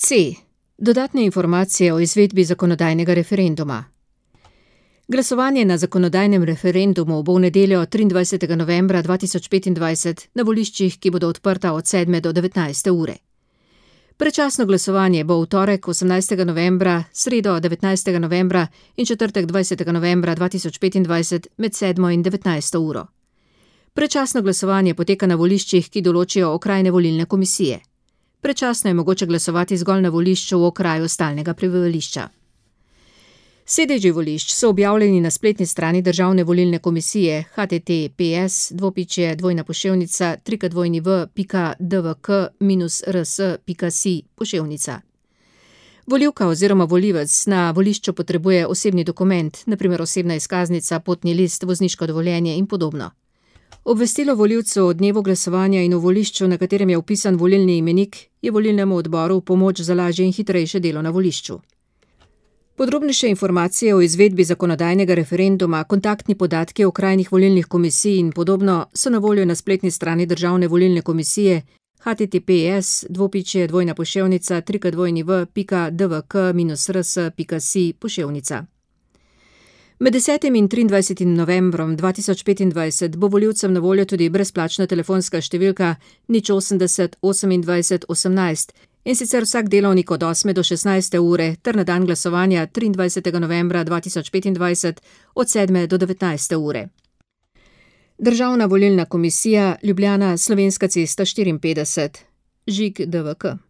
C. Dodatne informacije o izvedbi zakonodajnega referenduma. Glasovanje na zakonodajnem referendumu bo v nedeljo 23. novembra 2025 na voliščih, ki bodo odprta od 7. do 19. ure. Predčasno glasovanje bo v torek 18. novembra, sredo 19. novembra in četrtek 20. novembra 2025 med 7. in 19. uro. Predčasno glasovanje poteka na voliščih, ki določijo okrajne volilne komisije. Predčasno je mogoče glasovati zgolj na volišču v okraju stalnega prebivališča. Sedeži volišč so objavljeni na spletni strani Državne volilne komisije https://www.dvk-rs.si/. Volivka oziroma volivec na volišču potrebuje osebni dokument, na primer osebna izkaznica, potni list, vozniško dovoljenje in podobno. Obvestilo volivcu o dnevu glasovanja in o volišču, na katerem je vpisan volilni imenik, je volilnemu odboru v pomoč za lažje in hitrejše delo na volišču. Podrobnejše informacije o izvedbi zakonodajnega referenduma, kontaktni podatki okrajnih volilnih komisij in podobno so na voljo na spletni strani Državne volilne komisije https://www.dvk-rs.si/. Med 10. in 23. novembrom 2025 bo volivcem na voljo tudi brezplačna telefonska številka 080 28 18 in sicer vsak delovnik od 8. do 16. ure ter na dan glasovanja 23. novembra 2025 od 7. do 19. ure. Državna volilna komisija, Ljubljana, Slovenska cesta 54, Žig DVK.